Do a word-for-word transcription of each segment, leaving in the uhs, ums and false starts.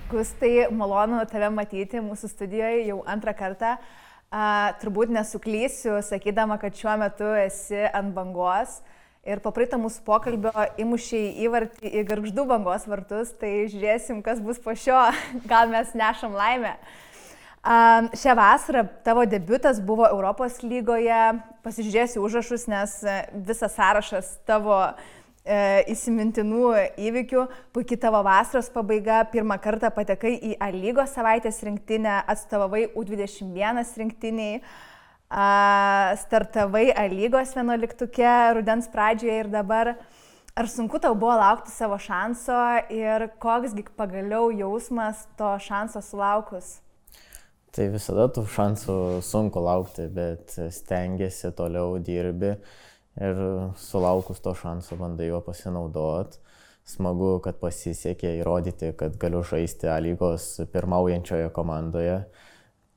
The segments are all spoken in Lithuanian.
Gustai, malonu tave matyti mūsų studijoje jau antrą kartą. A, turbūt nesuklysiu, sakydama, kad šiuo metu esi ant bangos ir po praeito mūsų pokalbio įmušiai įvartį į Gargždų bangos vartus, tai žiūrėsim, kas bus po šio, gal mes nešam laimę. A, šią vasarą tavo debiutas buvo Europos lygoje, pasižiūrėsiu užrašus, nes visas sąrašas tavo įsimintinų įvykių, puikiai tavo vasaros pabaiga, pirmą kartą patekai į A lygos savaitės rinktinę, atstovavai U dvidešimt vienas rinktiniai, startavai A lygos vienuoliktuke rudens pradžioje ir dabar. Ar sunku tau buvo laukti savo šanso ir koksgi pagaliau jausmas to šanso sulaukus? Tai visada tų šansų sunku laukti, bet stengiasi, toliau dirbi. Ir sulaukus to šanso bandai jo pasinaudoti. Smagu, kad pasisekė įrodyti, kad galiu žaisti A lygos pirmaujančioje komandoje.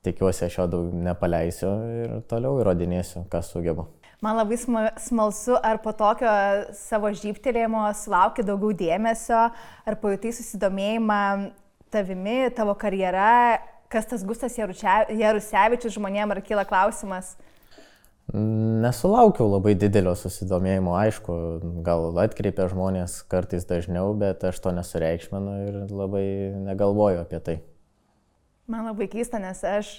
Tikiuosi, aš jo daug nepaleisiu ir toliau įrodinėsiu, ką sugebu. Man labai smalsu, ar po tokio savo žybtelėjimo sulauki daugiau dėmesio, ar pajutai susidomėjimą tavimi, tavo karjera, kas tas Gustas Jarusevičius žmonėm, ar kyla klausimas? Nesulaukiau labai didelio susidomėjimo, aišku, gal atkreipia žmonės kartais dažniau, bet aš to nesureikšminu ir labai negalvoju apie tai. Man labai keista, nes aš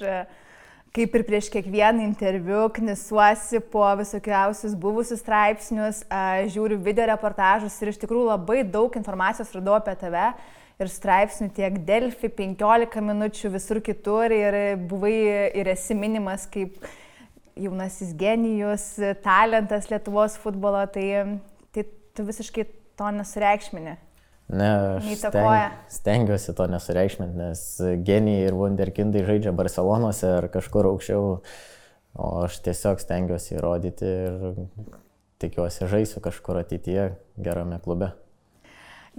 kaip ir prieš kiekvieną interviu knisuosi po visokiausius buvusius straipsnius, žiūriu video reportažus ir iš tikrųjų labai daug informacijos radau apie tave ir straipsnių tiek Delfi, penkiolika minučių, visur kitur ir buvai ir esi minimas kaip jaunasis genijus, talentas Lietuvos futbolo, tai, tai tu visiškai to nesureikšmini. Ne, aš steng, stengiuosi to nesureikšminti, nes genijai ir wunderkindai žaidžia Barcelonose ar kažkur aukščiau, o aš tiesiog stengiuosi įrodyti ir tikiuosi žaisiu kažkur ateityje gerame klube.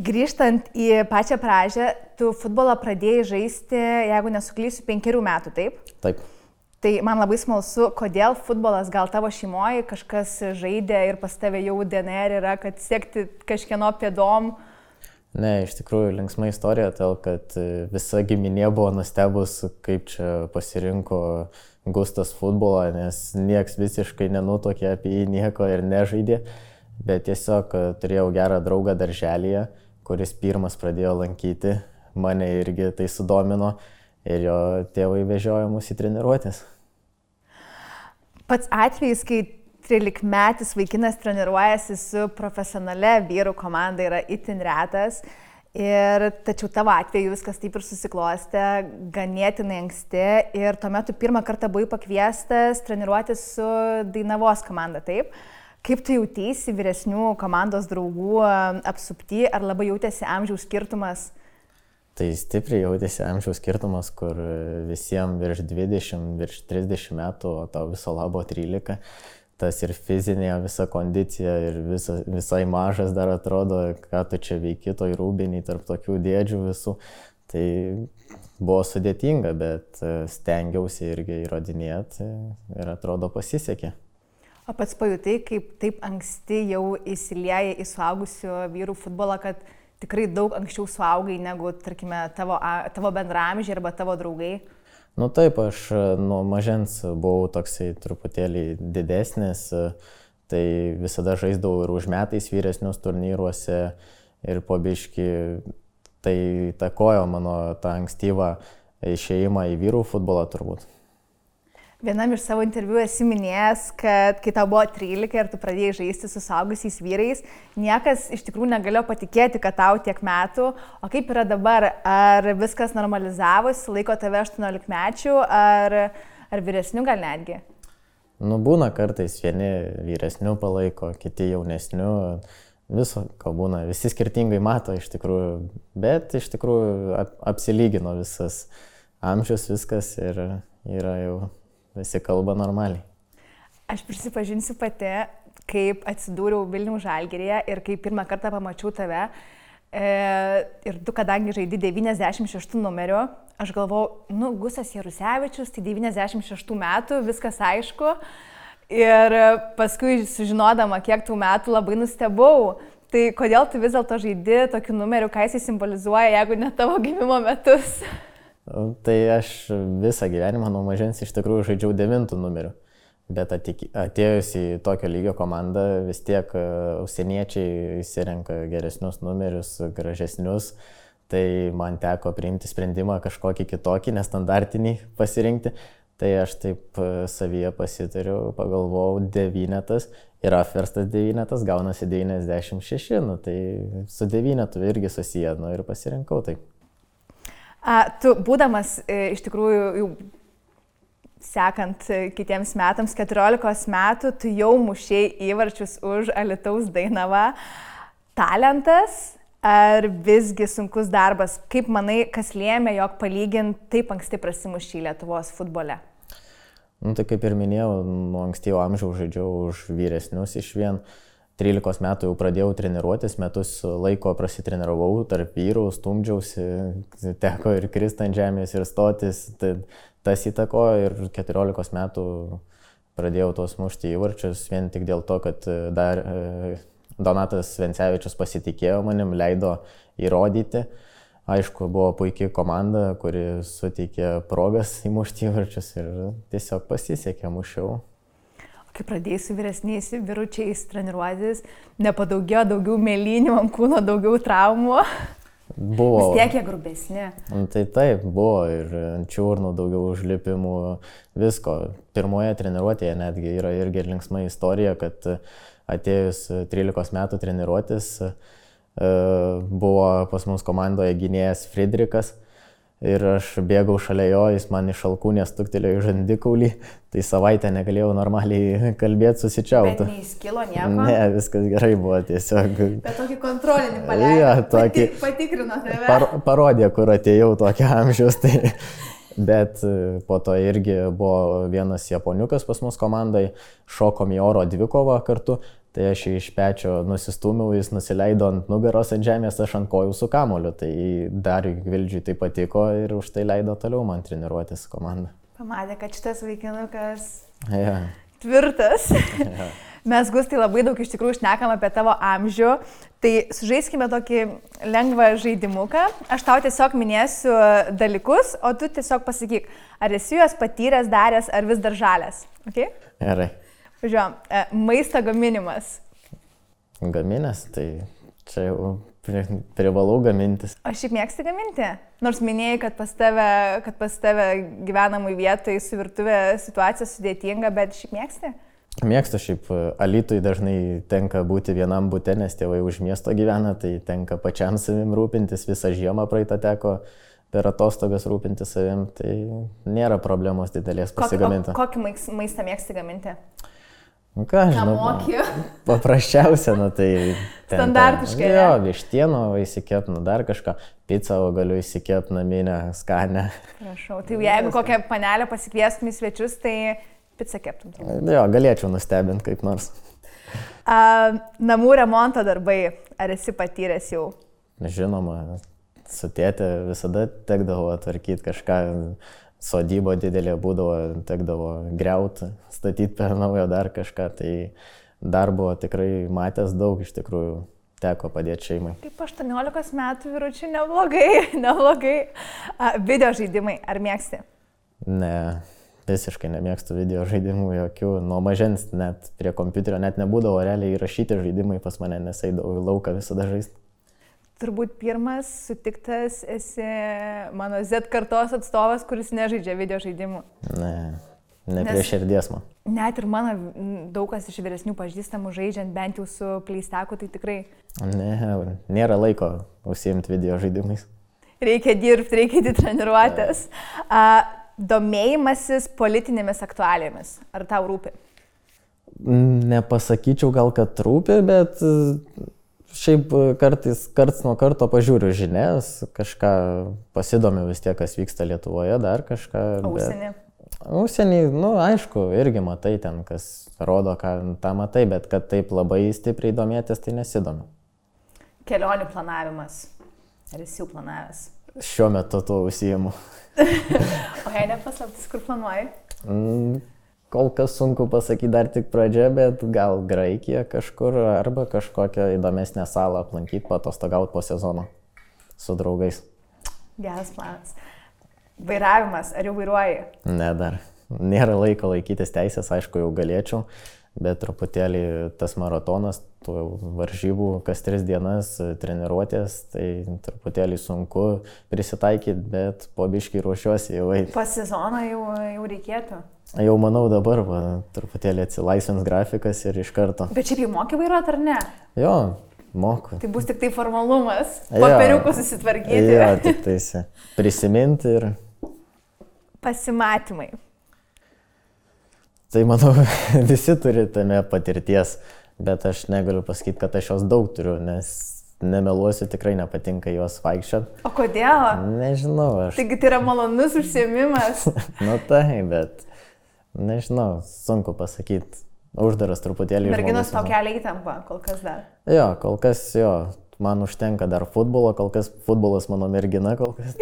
Grįžtant į pačią pradžią, tu futbolą pradėjai žaisti, jeigu nesuklysiu, penkerių metų, taip? Taip. Tai man labai smalsu, kodėl futbolas, gal tavo šeimoje kažkas žaidė ir pas tave jau D N R yra, kad sekti kažkieno pėdom? Ne, iš tikrųjų linksma istorija, todėl kad visa giminė buvo nustebus, kaip čia pasirinko Gustas futbolą, nes nieks visiškai nenutokė apie jį nieko ir nežaidė, bet tiesiog turėjau gerą draugą darželyje, kuris pirmas pradėjo lankyti, mane irgi tai sudomino. Ir jo tėvai vežiojo mus į treniruotės. Pats atvejis, kai trylikmetis vaikinas treniruojasi su profesionale vyrų komanda, yra itin retas. Ir tačiau tavo atveju viskas taip ir susiklostė ganėtinai anksti. Ir tuomet tu pirmą kartą buvai pakviestas treniruotis su Dainavos komanda, taip? Kaip tu jautėsi vyresnių komandos draugų apsupty, ar labai jautėsi amžiaus skirtumas? Tai stipriai jautėsi amžiaus skirtumas, kur visiems virš dvidešimt, virš trisdešimt metų, o tau viso labo trylika. Tas ir fizinė visa kondicija ir visa, visai mažas dar atrodo, ką tu čia veiki toj rūbiniai tarp tokių dėdžių visų. Tai buvo sudėtinga, bet stengiausi irgi įrodinėti ir atrodo pasisekė. O pats pajutai, kaip taip anksti jau įsilieja į suaugusių vyrų futbolą, kad tikrai daug anksčiau suaugai negu, tarkime, tavo, tavo bendramžiai arba tavo draugai? Nu taip, aš nuo mažens buvau toksai truputėlį didesnis, tai visada žaisdavau ir už metais vyresnius turnyruose ir po biškį tai įtakojo mano tą ankstyvą išėjimą į vyrų futbolą turbūt. Vienam iš savo interviu esi minėjęs, kad kai tau buvo trylika ir tu pradėjai žaisti su suaugusiais vyrais, niekas iš tikrųjų negalėjo patikėti, kad tau tiek metų. O kaip yra dabar? Ar viskas normalizavosi, laiko tave aštuoniolikmečių ar, ar vyresnių gal netgi? Nu, būna kartais vieni vyresnių palaiko, kiti jaunesnių. Viso, ko būna. Visi skirtingai mato iš tikrųjų, bet iš tikrųjų ap, apsilygino visas amžius, viskas ir yra jau... Visi kalba normaliai. Aš prisipažinsiu pati, kaip atsidūriau Vilniaus Žalgiryje ir kai pirmą kartą pamačiau tave. E, ir tu, kadangi žaidi devyniasdešimt šeštų numeriu, aš galvojau, nu, Gustas Jarusevičius, tai devyniasdešimt šeštų metų, viskas aišku. Ir paskui sužinodama, kiek tų metų, labai nustebau. Tai kodėl tu vis dėlto žaidi tokiu numeriu, ką jis simbolizuoja, jeigu ne tavo gimimo metus? Tai aš visą gyvenimą nuo mažens iš tikrųjų žaidžiau devintų numeriu. Bet atėjus į tokio lygio komandą, vis tiek užsieniečiai įsirenka geresnius numerius, gražesnius. Tai man teko priimti sprendimą kažkokį kitokį, nestandartinį pasirinkti. Tai aš taip savyje pasitariu, pagalvojau devynetas ir apverstas devynetas gaunasi devyniasdešimt šeši. Nu, tai su devynetu irgi susiję, nu, ir pasirinkau taip. A, tu būdamas iš tikrųjų jau sekant kitiems metams, keturiolikos metų, tu jau mušėjai įvarčius už Alytaus Dainavą. Talentas ar visgi sunkus darbas? Kaip manai, kas lėmė, jog palygint taip anksti prasimušė Lietuvos futbole? Nu, tai kaip ir minėjau, nuo ankstyvo amžiaus žaidžiau už vyresnius iš vien. trylikos metų jau pradėjau treniruotis, metus laiko prasitreniravau tarp vyrų, stumdžiausi, teko ir kristi ant žemės ir stotis. Tai tas įtakojo ir keturiolikos metų pradėjau tos mušti įvarčius vien tik dėl to, kad dar Donatas Vencevičius pasitikėjo manim, leido įrodyti. Aišku, buvo puikiai komanda, kuri suteikė progas įmušti įvarčius ir tiesiog pasisekė, mušiau. Kai pradėjai su vyresniais vyručiais treniruotis, nepadaugėjo daugiau mėlynių ant kūno, daugiau traumų? Buvo. Vis tiek jie grubesni. Tai taip, buvo ir čiurnų, daugiau užlipimų, visko. Pirmoje treniruotėje netgi yra irgi linksma istorija, kad atėjus trylikos metų treniruotis buvo pas mus komandoje gynėjas Friedrikas. Ir aš bėgau šalia jo, jis man iš alkūnės stuktelėjo į žandikaulį, tai savaitę negalėjau normaliai kalbėti, susičiauti. Bet neįskilo nieko? Ne, viskas gerai buvo tiesiog. Bet tokį kontrolinį paleido, ja, tokį... Pati, patikrino tave. Par, parodė, kur atėjau tokio amžiaus. Tai... Bet po to irgi buvo vienas japoniukas pas mus komandai, šokom į oro dvikovą kartu. Tai aš iš pečio nusistūmiau, jis nusileido ant nugaros ant žemės, aš ant kojų su kamuoliu. Tai Dariui Gvildžiui tai patiko ir už tai leido toliau man treniruotis komandą. Pamatė, kad šitas vaikinukas ja. Tvirtas. Ja. Mes, Gustai, labai daug iš tikrųjų šnekam apie tavo amžių. Tai sužaiskime tokį lengvą žaidimuką. Aš tau tiesiog minėsiu dalykus, o tu tiesiog pasakyk, ar esi juos patyręs, daręs, ar vis dar žalės. Okay? Gerai. Žiūrėjom, maisto gaminimas. Gaminęs, tai čia jau privalau gamintis. O šiaip mėgsti gaminti? Nors minėjai, kad pas tave, kad pas tave gyvenamui vietai su virtuvė situacija sudėtinga, bet šiaip mėgsti? Mėgstu šiaip. Alytui dažnai tenka būti vienam bute, nes tėvai už miesto gyvena, tai tenka pačiam savim rūpintis, visą žiemą praeitą teko per atostogas rūpinti savim, tai nėra problemos didelės pasigaminti. Kokį, kokį maistą mėgsti gaminti? Nu ką, žinau, paprasčiausia, nu tai... Standartiškai. Jo, vištieno įsikep, nu dar kažką, pizzą galiu įsikep naminę, skanę. Prašau, tai jeigu kokią panelę pasikviestum į svečius, tai pizzą keptum. Jo, galėčiau nustebinti kaip nors. A, namų remonto darbai, ar esi patyręs jau? Žinoma, su tėte visada tekdavo tvarkyti kažką. Sodybo didelė būdavo, tekdavo griauti, statyti per naujo dar kažką, tai darbo tikrai matęs daug, iš tikrųjų teko padėti šeimai. Kaip aštuoniolikos metų vyručių neblogai, neblogai. A, video žaidimai, ar mėgsti? Ne, visiškai nemėgstu video žaidimų jokių, nuo mažens net prie kompiuterio net nebūdavo realiai įrašyti žaidimai pas mane, nes eidavau į lauką visada žaisti. Turbūt pirmas sutiktas esi mano Z kartos atstovas, kuris nežaidžia video žaidimų. Ne, ne prie širdies man. Net ir mano daug kas iš vyresnių pažįstamų žaidžiant bent jau su pleistaku, tai tikrai... Ne, nėra laiko užsiimti video žaidimais. Reikia dirbti, reikia įdėti treniruotės. A, domėjimasis politinėmis aktualijomis. Ar tau rūpi? Nepasakyčiau gal, kad rūpi, bet... Šiaip kartais, karts nuo karto pažiūriu žinias, kažką pasidomiu vis tiek, kas vyksta Lietuvoje, dar kažką. Užsienį? Užsienį, nu aišku, irgi matai ten, kas rodo, ką tą matai, bet kad taip labai stipriai domėtis, tai nesidomiu. Kelionių planavimas. Ar esi jau planavęs? Šiuo metu tuo užsiimu. O jei nepaslaptis, kur planuoji? Mm, kol kas sunku pasakyti, dar tik pradžia, bet gal Graikija kažkur arba kažkokią įdomesnę salą aplankyti, patostogauti po sezono su draugais. Geras planas. Vairavimas, ar jau vairuoji? Ne, dar. Nėra laiko laikytis teisės, aišku, jau galėčiau, bet truputėlį tas maratonas, tų varžybų kas tris dienas treniruotės, tai truputėlį sunku prisitaikyti, bet po biškį ruošiuosi jau eiti. Po sezono jau, jau reikėtų? Jau manau dabar, va, truputėlį atsilaisvins grafikas ir iš karto. Bet šiaip jau moki vairuoti ar ne? Jo, moku. Tai bus tik tai formalumas, papiriukų susitvarkyti. Jo, tik tais prisiminti ir... Pasimatymai. Tai manau, visi turi tame patirties, bet aš negaliu pasakyti, kad aš jos daug turiu, nes nemeluosiu, tikrai nepatinka juos vaikščiot. O kodėl? Nežinau, aš... Taigi tai yra malonus užsiėmimas. Nu tai, bet nežinau, sunku pasakyti. Uždaras truputėlį. Merginos tau kelia įtampą, kol kas dar. Jo, kol kas jo, man užtenka dar futbolo, kol kas futbolas mano mergina, kol kas.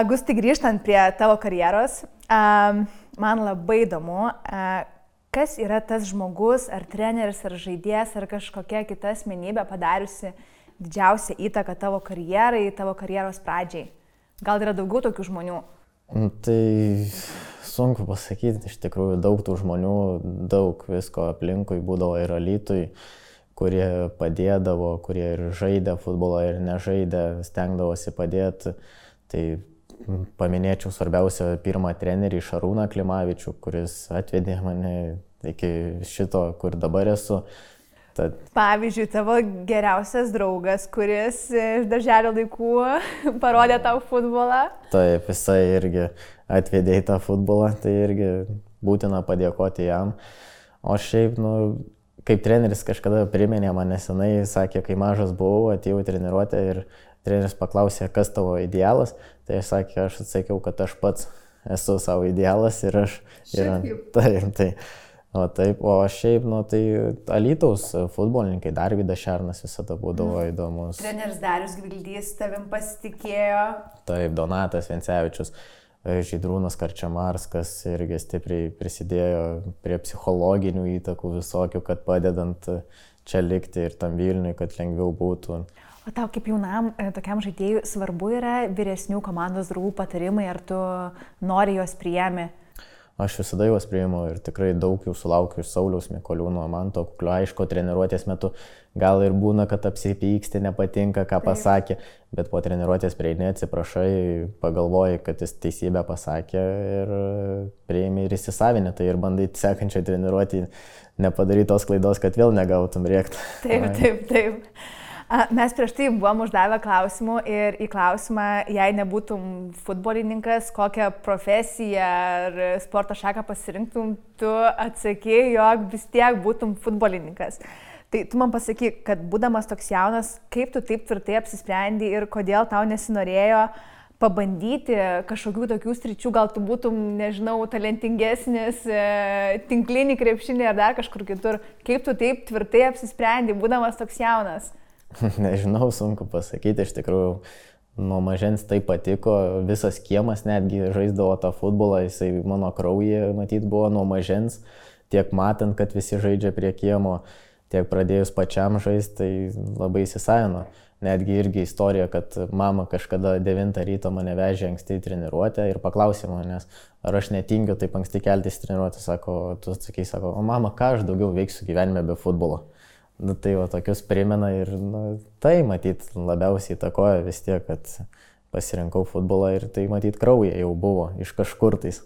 Gusti, grįžtant prie tavo karjeros, man labai įdomu, kas yra tas žmogus, ar treneris, ar žaidėjas, ar kažkokia kita asmenybė padariusi didžiausią įtaką tavo karjerai, tavo karjeros pradžiai. Gal yra daugiau tokių žmonių? Tai sunku pasakyti, iš tikrųjų daug tų žmonių, daug visko aplinkui būdavo ir Alytui, kurie padėdavo, kurie ir žaidė futbolą, ir nežaidė, stengdavosi padėti. Tai paminėčiau svarbiausia pirmą trenerį Šarūną Klimavičių, kuris atvedė mane iki šito, kur dabar esu. Tad... Pavyzdžiui, tavo geriausias draugas, kuris iš darželio laikų parodė tau futbolą. Taip, jisai irgi atvedė į tą futbolą, tai irgi būtina padėkoti jam. O šiaip, nu, kaip treneris kažkada priminė man nesenai, sakė, kai mažas buvau, atėjau į treniruotę ir treneris paklausė, kas tavo idealas, tai aš sakė, aš atsakiau, kad aš pats esu savo idealas ir aš... Ir, taip, tai... O taip, o šiaip, nu, tai Alytaus futbolininkai, Darvydas Šernas visada būdavo mm. įdomus. Treneris Darius Gvildys tavim pasitikėjo. Taip, Donatas Vencevičius, Žydrūnas Karčemarskas irgi stipriai prisidėjo prie psichologinių įtakų visokių, kad padedant čia likti ir tam Vilniui, kad lengviau būtų. O tau kaip jaunam tokiam žaidėjui svarbu yra vyresnių komandos draugų patarimai, ar tu nori juos priėmi? Aš visada juos priimu ir tikrai daug jų sulaukiu iš Sauliaus Mikoliūno, Manto Kuklio. Aišku, treniruotės metu gal ir būna, kad apsipyksti, nepatinka, ką Taip. pasakė, bet po treniruotės prieini, atsiprašai, pagalvoji, kad jis teisybę pasakė ir priimi ir įsisavinę, tai ir bandai sekančią treniruotį nepadaryti tos klaidos, kad vėl negautum rėkti. Taip, taip, taip. Mes prieš tai buvom uždavę klausimų ir į klausimą, jei nebūtum futbolininkas, kokią profesiją ar sporto šaką pasirinktum, tu atsakei, jog vis tiek būtum futbolininkas. Tai tu man pasakyk, kad būdamas toks jaunas, kaip tu taip tvirtai apsisprendei ir kodėl tau nesinorėjo pabandyti kažkokių tokių sričių, gal tu būtum, nežinau, talentingesnis, tinklinį krepšinį ar dar kažkur kitur. Kaip tu taip tvirtai apsisprendei, būdamas toks jaunas? Nežinau, sunku pasakyti, iš tikrųjų nuo mažens tai patiko, visas kiemas netgi žaisdavo tą futbolą, jisai mano kraujyje matyt buvo nuo mažens, tiek matant, kad visi žaidžia prie kiemo, tiek pradėjus pačiam žaisti, tai labai įsisavino. Netgi irgi istorija, kad mama kažkada devintą ryto mane vežė anksti į treniruotę ir paklausė manęs, ar aš netingiu taip anksti keltis į treniruotę, sako, tu atsakai, sako, o mama, ką aš daugiau veiksiu gyvenime be futbolo. Nu, tai va, tokius primena ir nu, tai matyt labiausiai įtakoja vis tiek, kad pasirinkau futbolą ir tai matyt kraujyje jau buvo iš kažkur tais.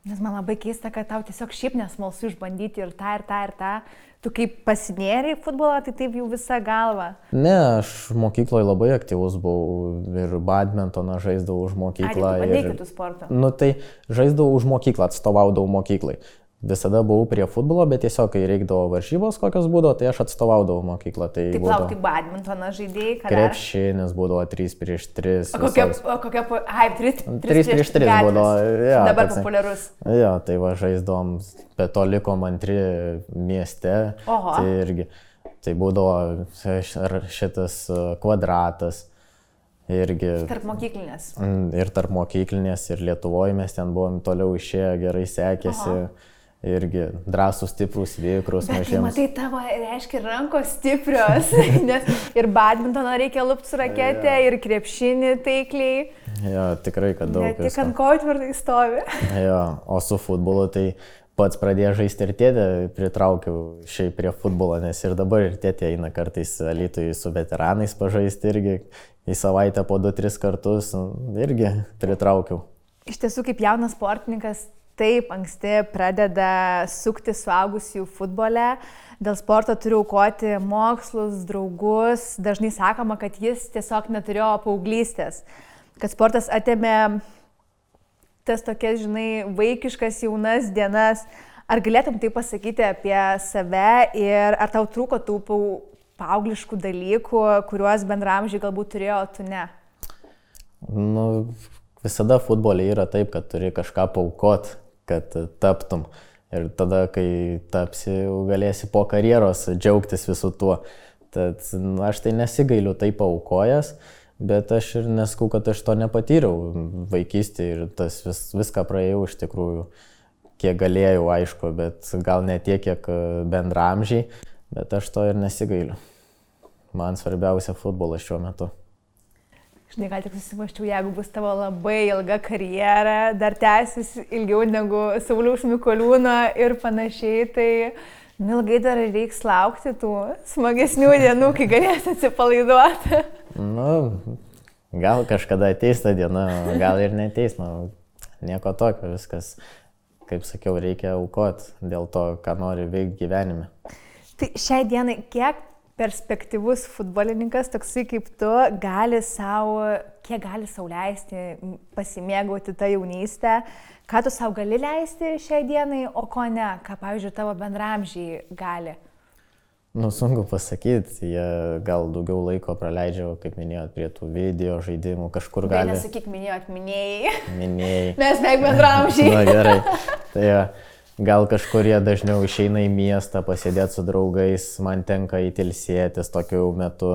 Nes man labai keista, kad tau tiesiog šiaip nesmalsu išbandyti ir tą, ir tą, ir tą. Tu kaip pasinėrei į futbolą, tai taip jau visą galvą. Ne, aš mokykloje labai aktyvus buvau ir badmintoną žaisdavau už mokyklą. Ai, tai tu bandai kitų sportų? Nu, tai žaisdavau už mokyklą, atstovaudavau mokyklai. Visada buvau prie futbolo, bet tiesiog, kai reikdavo varžybos kokios būdavo, tai aš atstovaudavau mokyklą. Tai Taip, būdavo... lauk, tai badmintoną žaidėjai, ką dar? Krepšinis būdavo trys prieš tris. O kokia, o kokia, ai, trys prieš tris būdavo. Ja, dabar toks, populiarus. Jo, tai va žaisdavom, bet to likom antri mieste. Oho. Tai irgi, tai būdavo šitas kvadratas. Irgi, tarp mokyklinės. Ir tarp mokyklinės, ir Lietuvoje mes ten buvom toliau išėję, gerai sekėsi. Aha. Irgi drąsūs, stiprūs, vikrus, mažiems. Bet matai, tavo reiškia rankos stiprios, nes ir badmintoną reikia lupti su rakete, ja. Ir krepšinį taikliai. Jo, tikrai, kad daug. Ne tik ant kojų tvirtai stovi. Jo, o su futbolu tai pats pradėjau žaisti ir tėtę pritraukiau šiaip prie futbolo, nes ir dabar ir tėtė eina kartais Alytui su veteranais pažaisti irgi į savaitę po du tris kartus, irgi pritraukiau. Iš tiesų, kaip jaunas sportininkas, taip anksti pradeda sukti suaugusių futbole. Dėl sporto turiu aukoti mokslus, draugus. Dažnai sakoma, kad jis tiesiog neturėjo paauglystės. Kad sportas atėmė tas tokias, žinai, vaikiškas jaunas dienas. Ar galėtum tai pasakyti apie save ir ar tau trūko tų paaugliškų dalykų, kuriuos bendramžiai galbūt turėjo, tu ne? Nu, visada futbole yra taip, kad turi kažką paaukot, kad taptum. Ir tada, kai tapsi, galėsi po karjeros džiaugtis visu tuo. Tad nu, aš tai nesigailiu taip paaukojęs, bet aš ir neskau, kad aš to nepatyriau vaikystėje ir tas vis, viską praėjau iš tikrųjų, kiek galėjau, aišku, bet gal ne tiek, kiek bendramžiai, bet aš to ir nesigailiu. Man svarbiausia futbolas šiuo metu. Žinai, gal tik susimaščiau, jeigu bus tavo labai ilga karjera, dar tęsis ilgiau negu Sauliaus Mikoliūno ir panašiai, tai ilgai dar reiks laukti tų smagesnių dienų, kai galėsi atsipalaiduoti. Nu, gal kažkada ateis ta diena, gal ir neteis, nu, nieko tokio, viskas, kaip sakiau, reikia aukoti dėl to, ką nori veikti gyvenime. Tai šiai dienai kiek perspektyvus futbolininkas, toksai kaip tu, gali savo, kiek gali sau leisti pasimėgauti tą jaunystę, ką tu savo gali leisti šiai dienai, o ko ne, ką, pavyzdžiui, tavo bendramžiai gali? Nu, sunku pasakyti, jie gal daugiau laiko praleidžia, kaip minėjot, prie tų video žaidimų, kažkur gali... Tai nesakyk, minėjot, minėjai. Minėjai. Mes beveik bendramžiai. Na gerai, tai ja. Gal kažkurie dažniau išeina į miestą pasėdėti su draugais, man tenka įtilsėtis tokiu metu.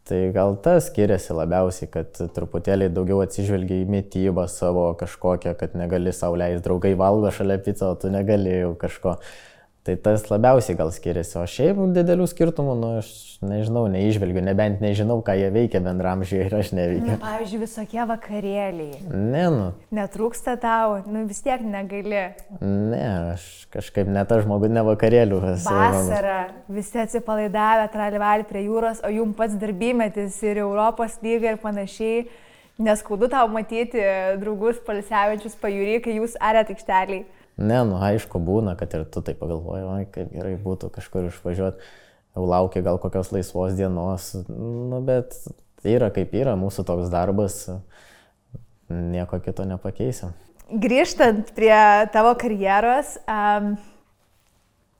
Tai gal tas skiriasi labiausiai, kad truputėlį daugiau atsižvelgia į mitybą savo kažkokią, kad negali sau leisti, draugai valgo šalia picą, o tu negali jau kažko. Tai tas labiausiai gal skiriasi, o šiaip didelių skirtumų, nu aš nežinau, neižvelgiu, nebent nežinau, ką jie veikia bendramžiai ir aš neveikiu. Na, pavyzdžiui, visokie vakarėliai. Ne, nu. Netrūksta tau, nu vis tiek negali. Ne, aš kažkaip ne tas žmogus, ne vakarėlių. Vasara, visi atsipalaidavę, tralivalį prie jūros, o jum pats darbymetis ir Europos lyga ir panašiai. Neskaudu tau matyti draugus palsiavičius pajūry, kai jūs arėt aikšteliai. Ne, nu aišku būna, kad ir tu tai pagalvoji, oi, kaip gerai būtų kažkur išvažiuoti, jau laukia gal kokios laisvos dienos, nu bet yra kaip yra, mūsų toks darbas, nieko kito nepakeisim. Grįžtant prie tavo karjeros, um,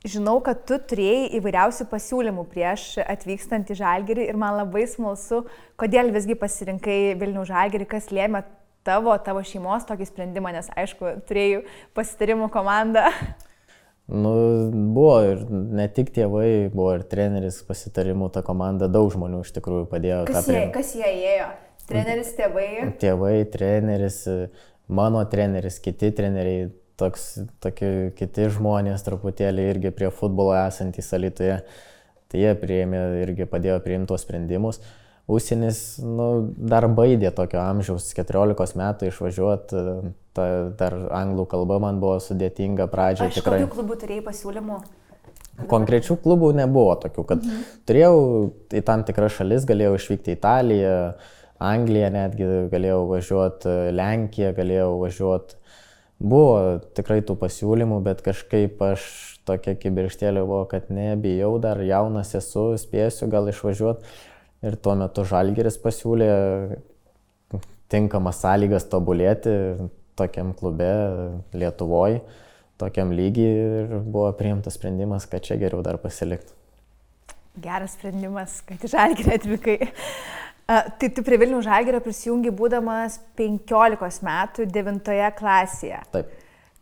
žinau, kad tu turėjai įvairiausių pasiūlymų prieš atvykstant į Žalgirį ir man labai smalsu, kodėl visgi pasirinkai Vilniaus Žalgirį, kas lėmė tavo, tavo šeimos tokį sprendimą, nes aišku, turėjau pasitarimų komandą. Nu, buvo ir ne tik tėvai, buvo ir treneris pasitarimų, ta komanda, daug žmonių iš tikrųjų padėjo. Kas, jie, kas jie ėjo? Treneris, tėvai? Tėvai, treneris, mano treneris, kiti treneriai, toks, tokie kiti žmonės truputėlį irgi prie futbolo esantys Alytuje. Tai jie priėmė, irgi padėjo priimti tos sprendimus. Užsienis, nu, dar baidė tokio amžiaus, keturiolikos metų išvažiuoti, ta, dar anglų kalba man buvo sudėtinga pradžioje. Aš tikrai... kokių klubų turėjai pasiūlymų? Konkrečių klubų nebuvo tokių, kad mhm. turėjau į tam tikras šalis, galėjau išvykti į Italiją, Angliją netgi, galėjau važiuoti, Lenkiją galėjau važiuoti. Buvo tikrai tų pasiūlymų, bet kažkaip aš tokia kibirkštėlė buvo, kad nebijau, dar jaunas esu, spėsiu gal išvažiuoti. Ir tuo metu Žalgiris pasiūlė tinkamas sąlygas tobulėti tokiam klube Lietuvoje, tokiam lygiai ir buvo priimtas sprendimas, kad čia geriau dar pasilikti. Geras sprendimas, kad į Žalgirį atvykai. Tai tu prie Vilniaus Žalgirio prisijungi būdamas penkiolikos metų devintoje klasėje. Taip.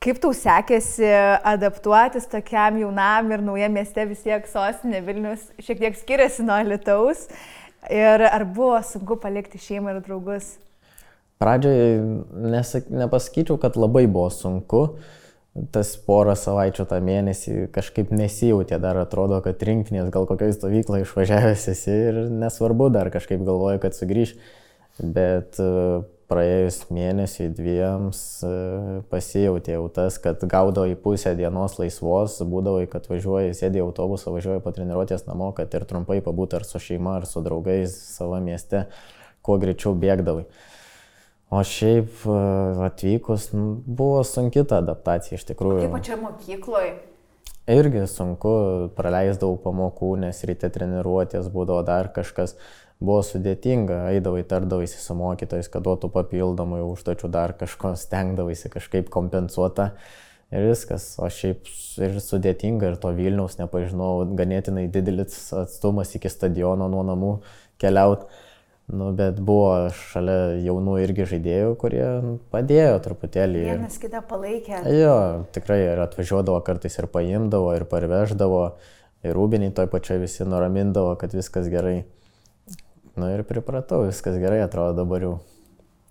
Kaip tau sekėsi adaptuotis tokiam jaunam ir naujam mieste, vis tiek sostinė Vilnius šiek tiek skiriasi nuo Alytaus. Ir ar buvo sunku palikti šeimą ir draugus? Pradžioje nesak, nepasakyčiau, kad labai buvo sunku. Tas porą savaičių tą mėnesį kažkaip nesijautė, dar atrodo, kad rinktinės gal kokioj stovyklą išvažiavęs esi ir nesvarbu, dar kažkaip galvoju, kad sugrįž. Bet praėjus mėnesiui dviems pasijautė jau tas, kad gaudavo į pusę dienos laisvos, būdavo, kad važiuoji, sėdė į autobusą, važiuoji po treniruotės namo, kad ir trumpai pabūti ar su šeima, ar su draugais savo mieste, kuo greičiau bėgdavai. O šiaip atvykus buvo sunki ta adaptacija iš tikrųjų. Kaip pačia mokykloje? Irgi sunku, praleisdavau pamokų, nes ryte treniruotės būdavo dar kažkas. Buvo sudėtinga, eidavai, tardavaisi su mokytojais, kad duotų papildomai užduočių dar kažko, stengdavaisi kažkaip kompensuota ir viskas. O šiaip ir sudėtinga ir to Vilniaus nepažinau, ganėtinai didelis atstumas iki stadiono nuo namų keliaut. Nu, bet buvo šalia jaunų irgi žaidėjų, kurie padėjo truputėlį. Vienas kitą palaikė. Jo, tikrai ir atvažiuodavo kartais ir paimdavo, ir parveždavo, ir rūbiniai toj pačioj visi nuramindavo, kad viskas gerai. Nu ir pripratau, viskas gerai atrodo dabar jau.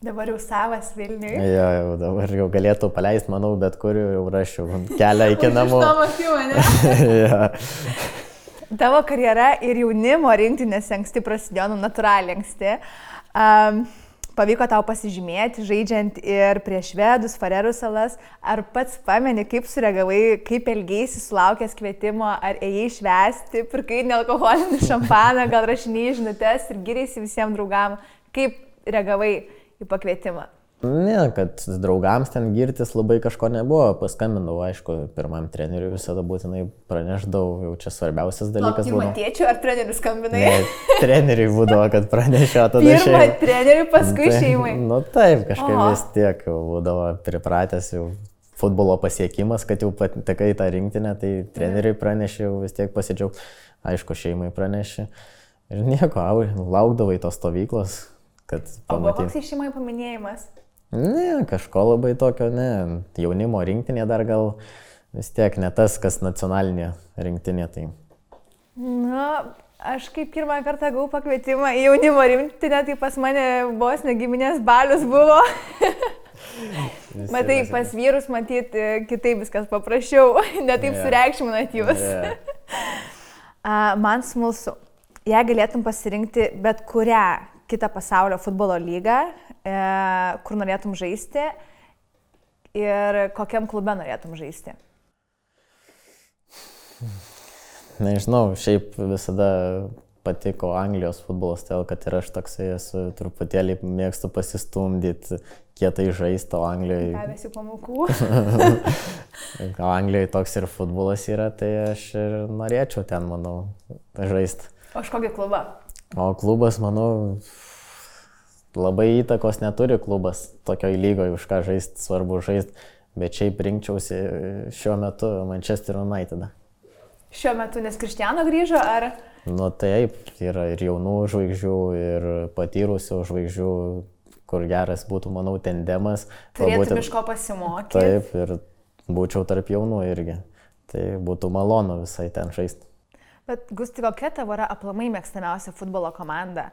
Dabar jau savas Vilniui. Jo, jau dabar jau galėtų paleisti, manau, bet kur jau rašiau kelią iki namų. Už to motyvo, ne? Jo. Tavo karjera ir jaunimo rinktinėse anksti prasidėjo, nu natūraliai anksti. Um, pavyko tau pasižymėti, žaidžiant ir prieš Švedus, Farerų salas. Ar pats pameni, kaip sureagavai, kaip elgeisi sulaukęs kvietimo, ar ėjai švęsti, pirkai nealkoholinį šampaną, gal rašinėjai žinutes ir giriaisi visiems draugam. Kaip reagavai į pakvietimą? Ne, kad draugams ten girtis labai kažko nebuvo, paskambindavau, aišku, pirmam treneriui visada būtinai pranešdavau, jau čia svarbiausias dalykas buvo. Pirmą tėčių ar trenerių skambinai? Ne, treneriui būdavo, kad pranešė, tada šeimai. šeimai. Pirmą treneriui, paskui šeimai. Nu taip, kažkaip Oho. Vis tiek būdavo pripratęs jau futbolo pasiekimas, kad jau patekai į tą rinktinę, tai treneriui pranešė, jau vis tiek pasidžiaug, aišku, šeimai pranešė. Ir nieko, laukdavai tos stovyklos, kad pamatyt. O buvo koks šeimai paminėjimas? Ne, kažko labai tokio, ne. Jaunimo rinktinė dar gal vis tiek ne tas, kas nacionalinė rinktinė. Tai. Na, aš kaip pirmą kartą gavau pakvietimą į jaunimo rinktinę, tai pas mane vos negiminės balius buvo. Matai, pas vyrus matyt kitaip viskas paprasčiau, ne taip yeah. sureikšminat jūs. Yeah. Man smalsu, jei galėtum pasirinkti bet kurią kitą pasaulio futbolo lygą, e, kur norėtum žaisti ir kokiam klube norėtum žaisti? Nežinau, šiaip visada patiko Anglijos futbolas, todėl kad ir aš toksai esu, truputėlį mėgstu pasistumdyti, kietai žaisti, o Anglijoje... Gavėsi pamokų. O Anglijoje toks ir futbolas yra, tai aš ir norėčiau ten, manau, žaisti. O iš kokį klubą? O klubas, manau, labai įtakos neturi klubas tokioj lygoje, už ką žaisti, svarbu žaisti, bet šiaip rinkčiausi šiuo metu Manchester United. Šiuo metu, nes Cristiano grįžo, ar? Nu taip, yra ir jaunų žvaigždžių, ir patyrusių žvaigždžių, kur geras būtų, manau, tandemas. Turėtum iš ko pasimokyti. Taip, ir būčiau tarp jaunų irgi. Tai būtų malonu visai ten žaisti. Bet Gusti, kokia tavo yra aplamai mėgstamiausia futbolo komanda?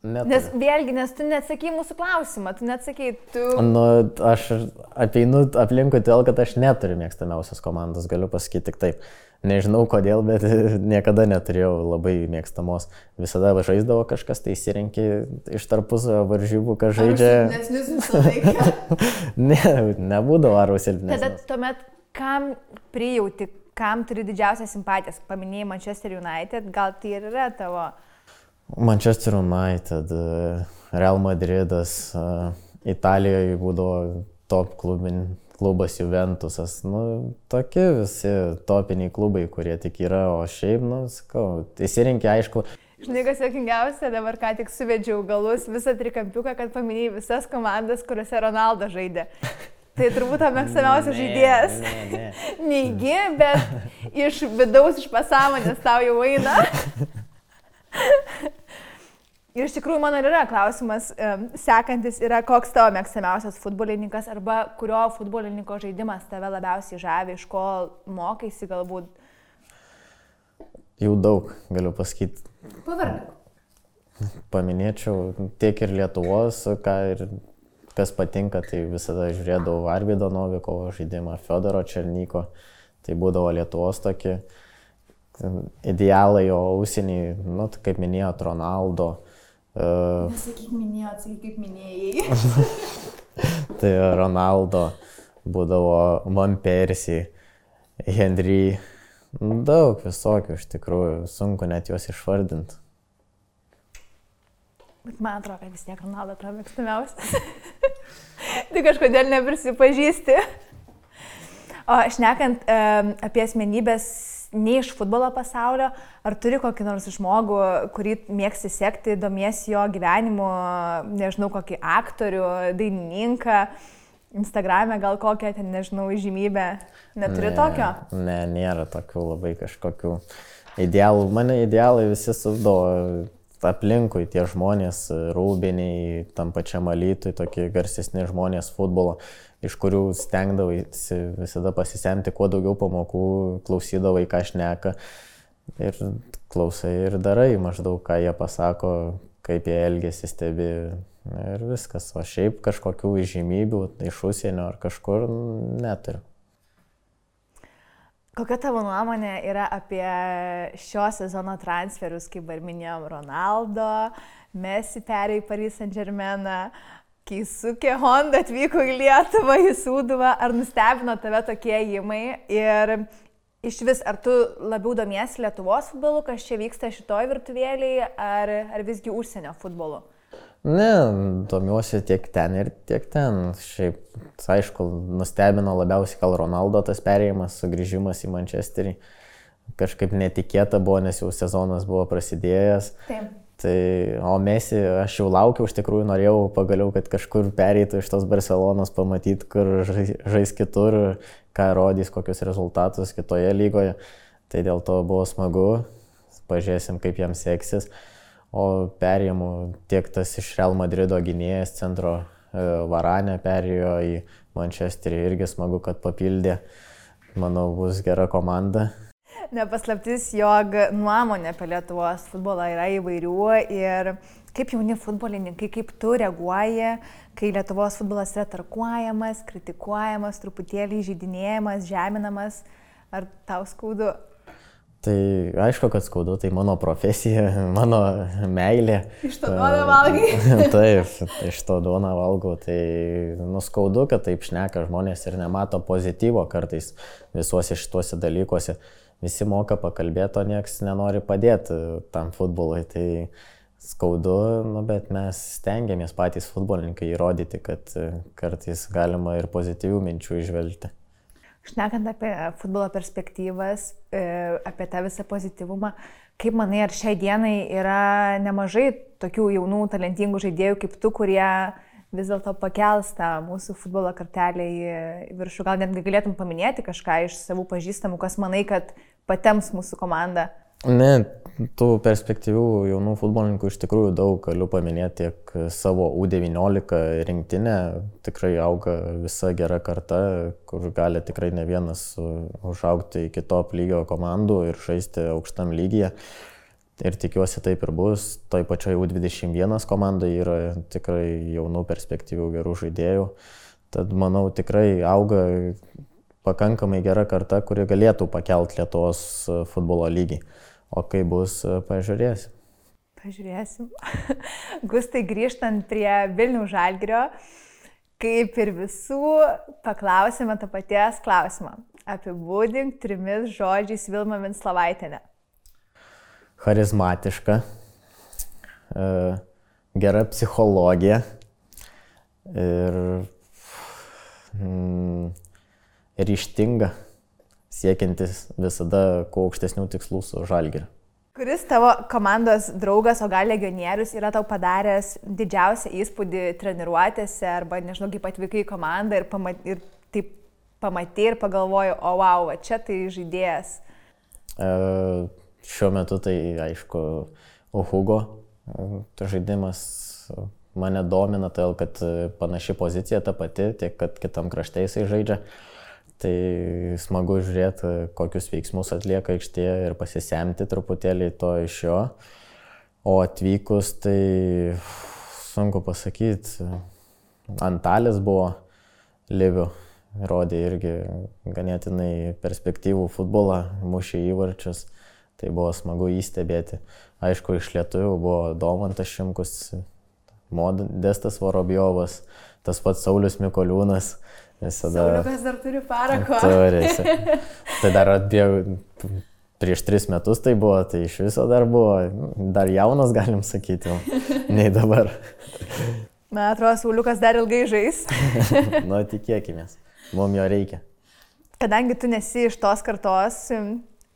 Neturiu. Nes vėlgi, nes tu neatsakei mūsų klausimą, tu neatsakei, tu... Nu, aš apeinu aplinkui todėl, kad aš neturiu mėgstamiausios komandos, galiu pasakyti tik taip. Nežinau kodėl, bet niekada neturėjau labai mėgstamos. Visada žaisdavo kažkas, tai įsirenki iš tarpusavio varžybų, kas žaidžia. Ar silpnesnis visą laiką? Ne, nebūdavo ar silpnesnis. Tada tuomet, kam prijauti, kam turi didžiausią simpatijas? Paminėjai Manchester United, gal tai ir yra tavo... Manchester United, Real Madridas, Italijoje būdavo top klubin, klubas Juventusas. Nu, tokie visi topiniai klubai, kurie tik yra, o šiaip, nu, sakau, įsirinkė aišku. Žinai, kas juokingiausia, dabar ką tik suvedžiau galus visą trikampiuką, kad paminėjai visas komandas, kuriuose Ronaldo žaidė. Tai turbūt tavo mėgstamiausias žaidėjas. Ne, ne. Neigi, bet iš vidaus, iš pasąmonės tau jau eina. Ir iš tikrųjų mano yra klausimas, sekantis yra, koks tavo mėgstamiausias futbolininkas arba kurio futbolininko žaidimas tave labiausiai žavi, iš ko mokaisi galbūt? Jau daug, galiu pasakyti. Pavardink. paminėčiau tiek ir Lietuvos, ką ir kas patinka, tai visada žiūrėdavau Arvydo Novikovo žaidimą, Fiodoro Černyko, tai būdavo Lietuvos tokie idealai, o užsienį, nu, kaip minėjot, Ronaldo. Uh, Nesakyk minėjot, sakyk kaip minėjai. Tai Ronaldo, būdavo Van Persie, Henry, daug visokių iš tikrųjų, sunku net juos išvardinti. Bet man atrodo, kad vis tiek Ronaldo tavo mėgstamiausias. Tai kažkodėl neprisipažįsti. O šnekant e, apie asmenybės ne iš futbolo pasaulio, ar turi kokį nors žmogų, kurį mėgsti sekti, domiesi jo gyvenimu, nežinau, kokį aktorių, dainininką, Instagrame gal kokią, ten, nežinau, įžymybę. Neturi ne, tokio? Ne, nėra tokių labai kažkokių idealų. Mane idealai visi suvdavo aplinkui, tie žmonės, Rūbiniai, tam pačiam Alytui, tokie garsesni žmonės futbolo, iš kurių stengdavai visada pasisemti kuo daugiau pamokų, klausydavai, ką šneka ir klausai ir darai maždaug, ką jie pasako, kaip jie elgiasi, stebi ir viskas. O šiaip kažkokių įžymybių iš užsienio ar kažkur neturiu. Kokia tavo nuomonė yra apie šio sezono transferius, kaip ir minėjom, Ronaldo, Messi perėjo į Paris Saint-Germainą, Keisuke Honda atvyko į Lietuvą, į Sūduvą. Ar nustebino tave tokie ėjimai? Ir iš vis, ar tu labiau domiesi Lietuvos futbolu, kas čia vyksta šitoj virtuvėlėje, ar, ar visgi užsienio futbolu? Ne, domiuosi tiek ten ir tiek ten. Šiaip, aišku, nustebino labiausiai gal Ronaldo tas perėjimas, sugrįžimas į Manchesterį. Kažkaip netikėta buvo, nes jau sezonas buvo prasidėjęs. Taip. Tai, o Messi, aš jau laukiau, iš tikrųjų norėjau pagaliau, kad kažkur pereitų iš tos Barcelonos, pamatyti, kur žais kitur, ką rodys, kokius rezultatus kitoje lygoje. Tai dėl to buvo smagu, pažiūrėsim, kaip jam seksis. O perėjimų tiek tas iš Real Madrido gynėjas centro Varane perėjo į Manchesterį, irgi smagu, kad papildė. Manau, bus gera komanda. Nepaslaptis, jog nuomonė apie Lietuvos futbolą yra įvairių ir kaip jauni futbolininkai, kaip tu reaguoji, kai Lietuvos futbolas yra tarkuojamas, kritikuojamas, truputėlį įžeidinėjamas, žeminamas, ar tau skaudu? Tai aišku, kad skaudu, tai mano profesija, mano meilė. Iš to duoną valgai. Taip, iš to duoną valgau. Tai nuskaudu, kad taip šneka žmonės ir nemato pozityvo kartais visuose šituose dalykuose. Visi moka pakalbėti, o nieks nenori padėti tam futbolui. Tai skaudu, nu, bet mes stengiamės patys futbolininkai įrodyti, kad kartais galima ir pozityvių minčių išvelgti. Šnekant apie futbolo perspektyvas, apie tą visą pozityvumą, kaip manai, ar šiai dienai yra nemažai tokių jaunų, talentingų žaidėjų kaip tu, kurie vis dėlto pakels tą mūsų futbolo kartelę į viršų? Gal netgi galėtum paminėti kažką iš savų pažįstamų, kas manai, kad patems mūsų komandą? Ne, tų perspektyvių jaunų futbolininkų iš tikrųjų daug, galiu paminėti tiek savo U devyniolika rinktinę, tikrai auga visa gera karta, kur gali tikrai ne vienas užaugti iki top lygio komandų ir žaisti aukštam lygyje. Ir tikiuosi taip ir bus. Toj pačioj U dvidešimt vienas komandai yra tikrai jaunų perspektyvių gerų žaidėjų. Tad manau tikrai auga pakankamai gera karta, kuri galėtų pakelti Lietuvos futbolo lygį. O kai bus, pažiūrėsim. Pažiūrėsim. Gustai, grįžtant prie Vilniaus Žalgirio, kaip ir visų, paklausime tą paties klausimą. Apibūdink trimis žodžiais Vilmą Vinslovaitienę. Charizmatiška, gera psichologija ir mm, ryžtinga, siekiantis visada kuo aukštesnių tikslų su Žalgiriu. Kuris tavo komandos draugas, o gal legionierius, yra tau padaręs didžiausią įspūdį treniruotėse arba, nežinau, kaip atvykai į komandą ir, pamat, ir taip pamatė ir pagalvoju, o wow, va, čia tai žaidėjas? E, šiuo metu tai, aišku, Hugo žaidimas mane domina, todėl kad panaši pozicija ta pati, tiek kad kitam krašte jisai žaidžia. Tai smagu žiūrėti, kokius veiksmus atlieka aikštėje ir pasisemti truputėlį to iš jo. O atvykus, tai sunku pasakyti, Antalis buvo Livių, rodė irgi ganėtinai perspektyvų futbolą, mušė įvarčius, tai buvo smagu įstebėti. Aišku, iš lietuvių buvo Domantas Šimkus, Modestas Vorobjovas, tas pats Saulius Mikoliūnas. Visada... Sauliukas dar turi parako. Turėsi. Tai dar atbėjau, prieš tris metus tai buvo, tai iš viso dar buvo, dar jaunas galim sakyti, nei dabar. Man atrodo, Sauliukas dar ilgai žais. Nu, tikėkimės, mums jo reikia. Kadangi tu nesi iš tos kartos,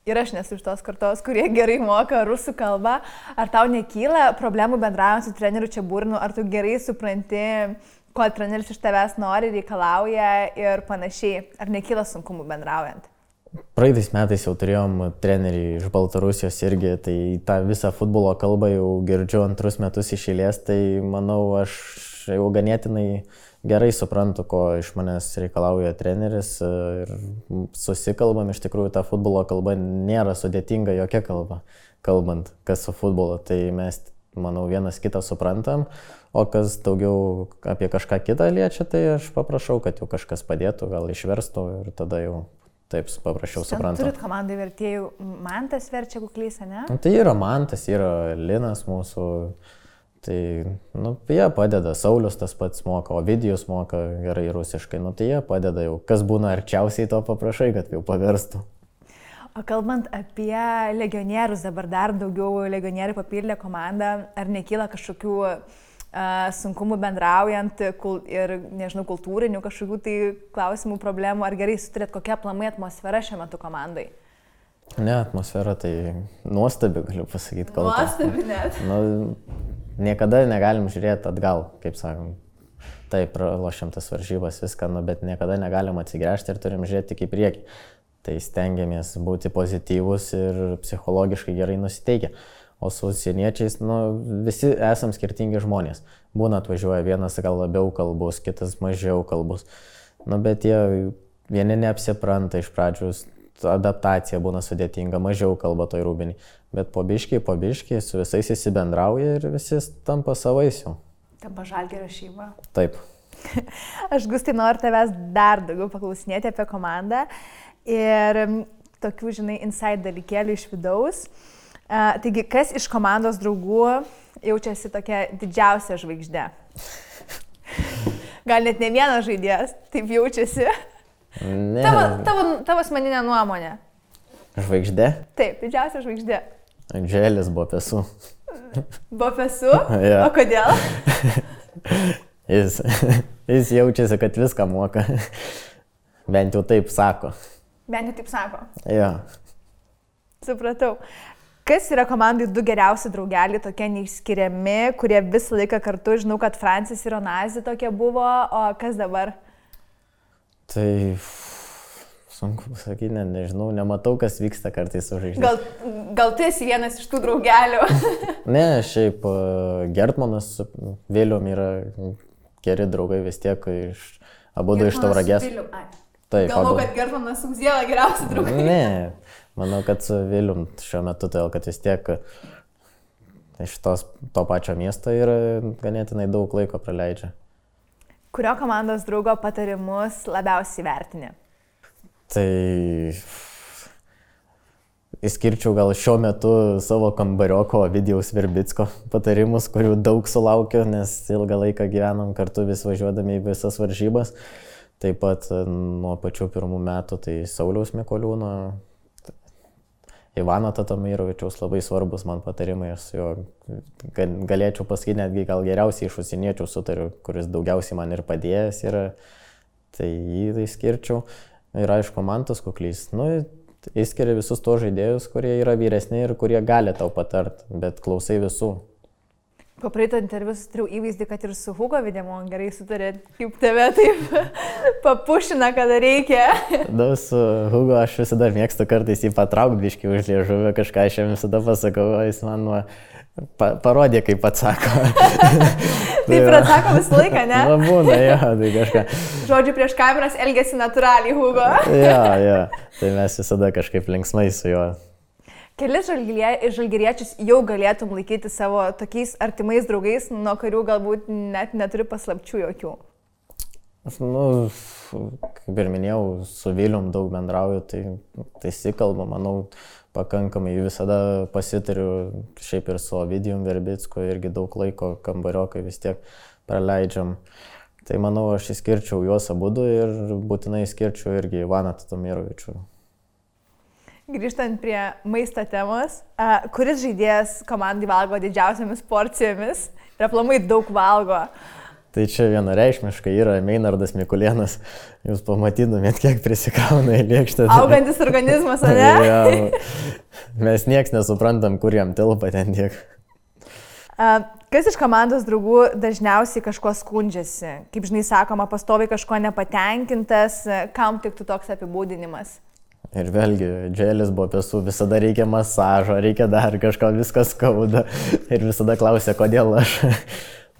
ir aš nesu iš tos kartos, kurie gerai moka rusų kalbą, ar tau nekyla problemų bendraujant su treneriu Čiaburinu, ar tu gerai supranti, ko treneris iš tavęs nori, reikalauja ir panašiai, ar nekyla sunkumų bendraujant? Praeitais metais jau turėjom trenerį iš Baltarusijos irgi, tai tą visą futbolo kalbą jau girdžiu antrus metus iš eilės, tai manau, aš jau ganėtinai gerai suprantu, ko iš manęs reikalauja treneris ir susikalbam, iš tikrųjų ta futbolo kalba nėra sudėtinga jokia kalba, kalbant, kas su futbolu, tai mes, manau, vienas kitą suprantam, o kas daugiau apie kažką kitą liečia, tai aš paprašau, kad jau kažkas padėtų, gal išverstų ir tada jau taip paprašiau suprantu. Turit komandai vertėjų, Mantas verčia kuklys, ne? Nu, tai yra Mantas, yra Linas mūsų, tai, nu, jie padeda, Saulius tas pats moka, Ovidijus moka gerai rusiškai, nu, tai jie padeda jau, kas būna arčiausiai to paprašai, kad jau paverstų. O kalbant apie legionierius, dabar dar daugiau legionierių papildė komandą, ar nekyla kažkokių sunkumų bendraujant ir, nežinau, kultūrinių kažkokių tai klausimų, problemų, ar gerai suturėt, kokia aplamai atmosfera šiuo metu komandai? Ne, atmosfera tai nuostabi, galiu pasakyti. Kalba. Nuostabi net. Nu, niekada negalim žiūrėti atgal, kaip sakom. Taip, pralošiam tas varžybas, viską, nu, bet niekada negalim atsigręžti ir turim žiūrėti tik į priekį. Tai stengiamės būti pozityvus ir psichologiškai gerai nusiteikę. O su užsieniečiais, nu, visi esam skirtingi žmonės. Būna atvažiuoja vienas gal labiau kalbus, kitas mažiau kalbus. Nu, bet jie vieni neapsipranta iš pradžių, adaptacija būna sudėtinga, mažiau kalba toj rūbinį. Bet po biškį, po biškį su visais įsibendrauja ir visi tampa savais jau. Tampa Žalgirio šeima. Taip. Aš, Gustai, noriu tavęs dar daugiau paklausinėti apie komandą ir tokių, žinai, inside dalykėlių iš vidaus. Uh, taigi, kas iš komandos draugų jaučiasi tokia didžiausia žvaigždė? Gal net ne vienas žaidėjas taip jaučiasi? Ne. Tavo, tavo, tavo asmeninė nuomonė. Žvaigždė? Taip, didžiausia žvaigždė. Andželis Bopesu. Bopesu? Ja. O kodėl? jis, jis jaučiasi, kad viską moka. Bent jau taip sako. Bent jau taip sako. Ja. Supratau. Kas yra komandai du geriausi draugeliai, tokie neišskiriami, kurie visą laiką kartu, žinau, kad Francis ir Onazi tokie buvo, o kas dabar? Tai sunku pasakyti, ne, nežinau, nematau, kas vyksta kartais su žaidžiais. Gal, gal tu esi vienas iš tų draugelių? Ne, šiaip Gertmanas su Vilium yra geri draugai vis tiek iš abudu iš Tauragės. Taip, galvoju, kad Gertmanas su Uziela geriausi draugai. Ne. Manau, kad su Vilium šiuo metu, todėl kad vis tiek iš tos, to pačio miesto ir ganėtinai daug laiko praleidžia. Kurio komandos draugo patarimus labiausiai vertini? Tai išskirčiau gal šiuo metu savo kambarioko Ovidijaus Verbicko patarimus, kurių daug sulaukiu, nes ilgą laiką gyvenam kartu vis važiuodami į visas varžybas. Taip pat nuo pačių pirmų metų tai Sauliaus Mikoliūno, Ivano Tatamirovičiaus labai svarbus man patarimai, aš jo galėčiau pasakyti netgi gal geriausiai iš užsieniečių sutariu, kuris daugiausiai man ir padėjęs yra, tai jį tai skirčiau. Ir aišku, Mantas Kuklys, nu, išskiria visus tos žaidėjus, kurie yra vyresni ir kurie gali tau patart, bet klausai visų. Po praeito interviu sutariau įvaizdį, kad ir su Hugo Videmon gerai sutarė, kaip tave taip papušina, kada reikia. Da, su Hugo aš visada mėgstu kartais jį patraukti biškį už liežuvę, kažką aš jam visada pasakau, o jis man nuo, pa, parodė, kaip atsako. Taip ir atsako visą laiką, ne? Na, būna, jo, tai kažką. Žodžiu, prieš kameras elgėsi natūraliai Hugo. Jo, jo, tai mes visada kažkaip linksmai su juo. Kelis žalgiriečius jau galėtum laikyti savo tokiais artimais draugais, nuo kurių galbūt net neturi paslapčių jokių. Aš, nu, kaip ir minėjau, su Vilium daug bendrauju, tai, tai sikalbu, manau, pakankamai visada pasitariu, šiaip ir su Ovidijum Verbicku, irgi daug laiko kambariokai vis tiek praleidžiam. Tai manau, aš įskirčiau juos abudu ir būtinai įskirčiau irgi Ivaną Tatomirovičių. Grįžtant prie maisto temos, a, kuris žaidėjas komandai valgo didžiausiamis porcijomis ir aplamai daug valgo? Tai čia vienareikšmiškai yra Meinardas Mikulėnas. Jūs pamatytumėt, kiek prisikrauna į lėkštę. Augantis organizmas, ar ne? Ja, mes nieks nesuprantam, kur jam tilpa ten tiek. A, kas iš komandos draugų dažniausiai kažko skundžiasi? Kaip žinai, sakoma, pastoviai kažko nepatenkintas, kam tiktų toks apibūdinimas? Ir vėlgi, dželis buvo pesų, visada reikia masažo, reikia dar kažko, viskas skauda. Ir visada klausia, kodėl aš.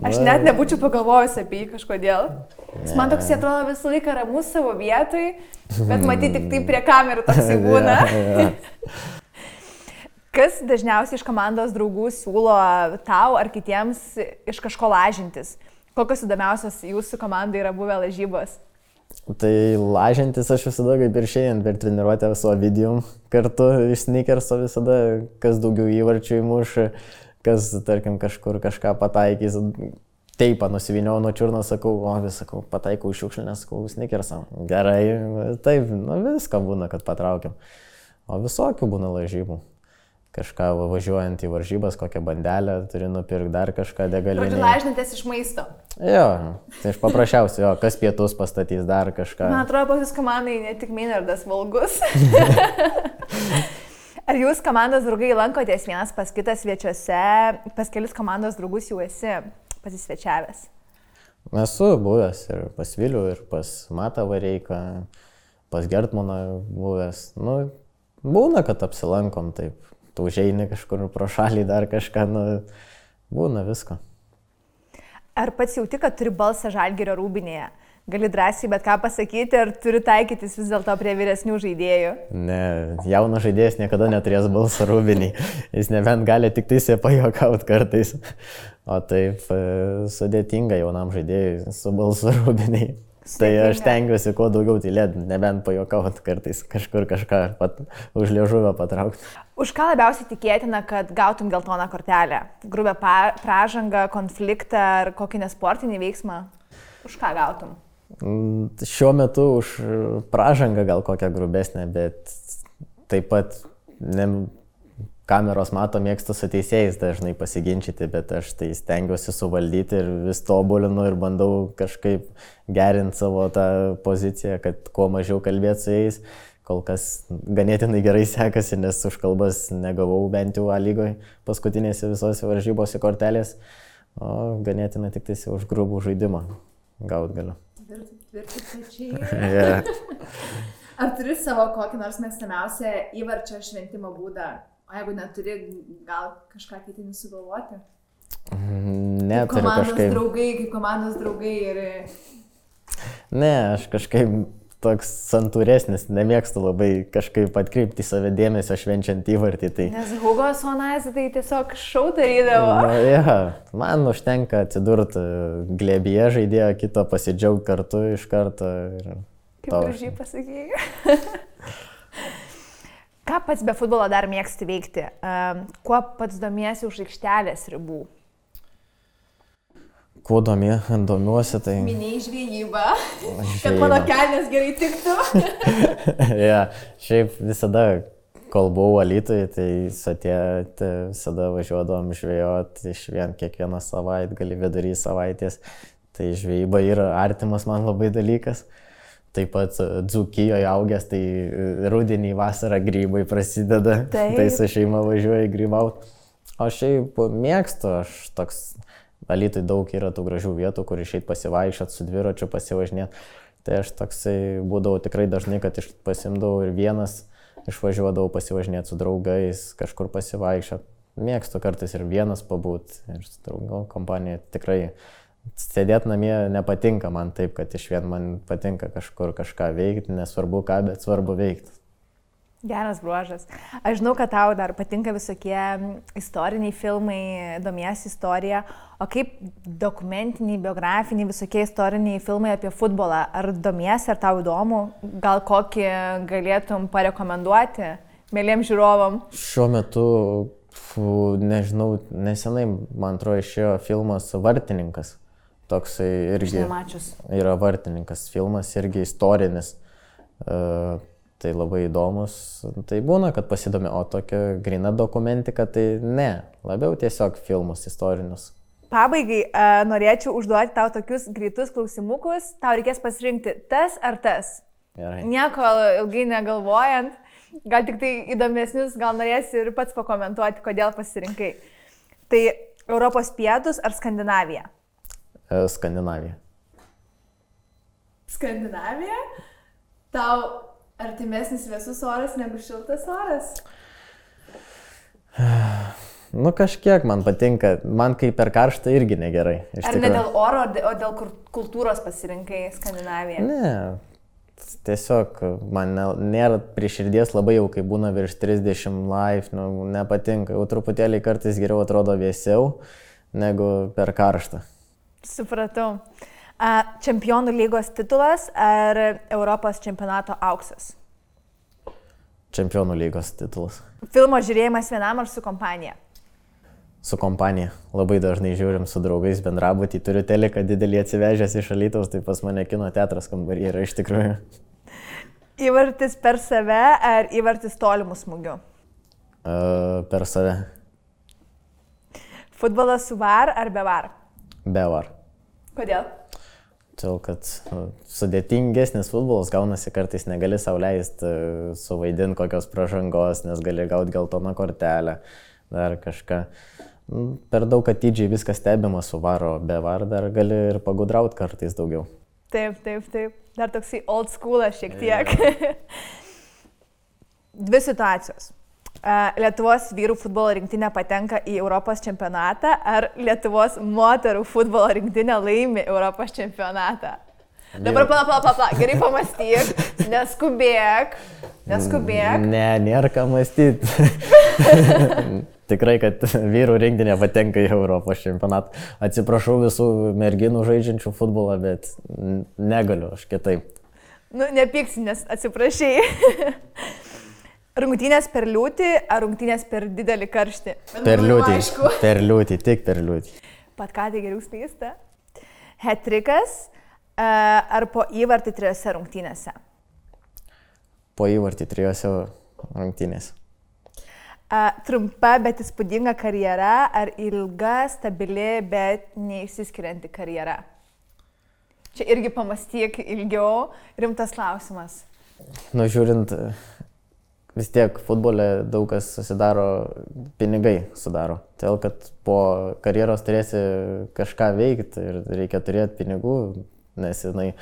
Aš net nebūčiau pagalvojus apie jį kažkodėl. Jis man toks atrodo visą laiką ramus savo vietoj, bet matyti tik tai prie kamerų toksai būna. Ja, ja. Kas dažniausiai iš komandos draugų siūlo tau ar kitiems iš kažko lažintis? Kokios įdomiausios jūsų komandai yra buvę lažybos? Tai lažintis aš visada kaip ir šiandien per treniruotę su Ovidijum kartu iš sneakerso visada, kas daugiau įvarčių įmuš, kas, tarkim, kažkur kažką pataikys. Teipą nusivyniau nuo čiurno, sakau, o vis sakau, pataikau iš šiukšlinę, sakau, sneakersą. Gerai, taip, nu viską būna, kad patraukiam. O visokių būna lažybų. Kažką važiuojant į varžybas, kokią bandelę, turi nupirkti dar kažką degalinį. Žodžiu, lažinatės iš maisto. Jo, tai aš paprasčiausiai, jo, kas pietus pastatys dar kažką. Man atrodo, pas jūs komandai ne tik Meinardas valgus. Ar jūs komandos draugai lankotės vienas pas kitas svečiuose, pas kelis komandos draugus jau esi pasisvečiavęs? Esu buvęs ir pas Vilių, ir pas Matą Vareiką, pas Gertmaną buvęs. Nu, būna, kad apsilankom taip. Tu užeini kažkur pro šalį dar kažką, nu, būna visko. Ar pats jauti, kad turi balsą Žalgirio rūbinėje? Gali drąsiai bet ką pasakyti, ar turi taikytis vis dėlto prie vyresnių žaidėjų? Ne, jaunas žaidėjas niekada neturės balsą rūbinį. Jis nebent gali tik tai pajuokauti kartais. O taip sudėtinga jaunam žaidėjui su balsu rūbiniai. Tai aš tengiuosi kuo daugiau tylėti, nebent pajuokauti kartais, kažkur kažką pat, už liežuvio patraukti. Už ką labiausiai tikėtina, kad gautum geltoną kortelę? Grubę pražangą, konfliktą ar kokį nesportinį veiksmą? Už ką gautum? Šiuo metu už pražangą gal kokią grubesnę, bet taip pat ne, kameros mato, mėgstu su teisėjais dažnai pasiginčyti, bet aš tai stengiuosi suvaldyti ir vis tobulinu ir bandau kažkaip gerinti savo tą poziciją, kad kuo mažiau kalbėti su jais. Kol kas ganėtinai gerai sekasi, nes už kalbas negavau bent jau A lygoje paskutinėse visose varžybose kortelės, o ganėtinai tik tai už grubų žaidimą gaut galiu. Tvirti pečiai. Yeah. Ar turi savo kokį nors mėgstamiausią įvarčio šventimo būdą? O jeigu neturi, gal kažką ketini sugalvoti? Ne, kaip turiu kažkaip. Komandos draugai, kaip komandos draugai ir... Ne, aš kažkaip toks santūresnis, nemėgstu labai kažkaip atkreipti į save dėmesio švenčiant įvartį. Tai... Nes Hugo Sonazė tai tiesiog šau darydavo. Na, ja, man užtenka atsidurti glėbyje žaidėjo, kito pasidžiaugti kartu iš karto. Ir kaip gražiai pasakėjai. Ką pats be futbolo dar mėgsti veikti? Kuo pats domiesi už aikštelės ribų? Kuo domė, domiuosi, tai... Minėjai žvejybą, kad mano kelnes gerai tiktų. Ja, šiaip visada, kol buvau Alytuje, tai satėti visada važiuodavom žvejoti iš vien kiekvieną savaitgalį, vidury savaitės. Tai žvejyba yra artimas man labai dalykas. Taip pat Dzūkijoje augęs, tai rudenį vasarą grybai prasideda. Taip. Tai su šeima važiuoju grybauti. O šiaip mėgstu, aš toks... Alytui daug yra tų gražių vietų, kur išeit pasivaikščiot, su dviračiu pasivažinėti. Tai aš toksai būdavau tikrai dažnai, kad pasimdavau ir vienas, išvažiuodavau pasivažinėti su draugais, kažkur pasivaikščiot. Mėgstu kartais ir vienas pabūt, ir su draugų kompanija. Tikrai sėdėti namie nepatinka man taip, kad iš vien man patinka kažkur kažką veikti, nesvarbu ką, bet svarbu veikti. Geras bruožas. Aš žinau, kad tau dar patinka visokie istoriniai filmai, domiesi istorija, o kaip dokumentiniai, biografiniai, visokie istoriniai filmai apie futbolą. Ar domiesi, ar tau įdomu? Gal kokį galėtum parekomenduoti mėliem žiūrovam? Šiuo metu, fu, nežinau, nesenai, man atrodo, išėjo filmas Vartininkas. Toksai irgi yra Vartininkas filmas, irgi istorinis. Uh, Tai labai įdomus, tai būna, kad pasidomi, o tokia grina dokumentika, tai ne, labiau tiesiog filmus istorinius. Pabaigai norėčiau užduoti tau tokius greitus klausimukus, tau reikės pasirinkti tas ar tas. Gerai. Nieko ilgai negalvojant, gal tik tai įdomesnius, gal norėsi ir pats pakomentuoti, kodėl pasirinkai. Tai Europos pietus ar Skandinavija? Skandinavija. Skandinavija? Tau artimesnis vėsus oras negu šiltas oras? Nu kažkiek man patinka, man kai per karštą irgi negerai. Ar ne dėl oro, o dėl kultūros pasirinkai Skandinaviją? Ne, tiesiog man nėra prie širdies labai jau, kai būna virš trisdešimt laipsnių, nepatinka. Jau truputėlį kartais geriau atrodo vėsiau negu per karštą. Supratau. Čempionų lygos titulas ar Europos čempionato auksas? Čempionų lygos titulas. Filmo žiūrėjimas vienam ar su kompanija? Su kompanija. Labai dažnai žiūrim su draugais bendrabutį. Turiu teliką didelį atsivežęs iš Alytaus, tai pas mane kino teatras kambarį yra iš tikrųjų. Įvartis per save ar įvartis tolimų smūgių? Uh, per save. Futbolas su var ar be var? Be var. Kodėl? Todėl, kad nu, sudėtingesnis futbolas gaunasi, kartais negali sau leisti uh, suvaidinti kokios pražangos, nes gali gauti geltoną kortelę, dar kažką. Nu, per daug atidžiai viskas stebima su varo, be var dar gali ir pagudrauti kartais daugiau. Taip, taip, taip. Dar toksai old schoolas šiek tiek. Yeah. Dvi situacijos. Lietuvos vyrų futbolo rinktinė patenka į Europos čempionatą ar Lietuvos moterų futbolo rinktinė laimi Europos čempionatą? Dabar pala, pala, pala, gerai pamastyk, neskubėk, neskubėk. Ne, nėra ką mąstyti. Tikrai, kad vyrų rinktinė patenka į Europos čempionatą. Atsiprašau visų merginų žaidžiančių futbolą, bet negaliu aš kitaip. Nu, nepyksi, nes atsiprašai. Rungtynės per liūtį ar rungtynės per didelį karštį? Per liūtį, per liūtį, tik per liūtį. Pat ką tai geriau slysta? Hat-trikas ar po įvartį trijose rungtynėse? Po įvartį trijose rungtynėse. Trumpa, bet įspūdinga karjera ar ilga, stabili, bet neišsiskirianti karjera? Čia irgi pamastyk ilgiau, rimtas klausimas. Nu, žiūrint, vis tiek futbole daug kas susidaro, pinigai sudaro. Todėl, kad po karjeros turėsi kažką veikti ir reikia turėti pinigų, nes jinai,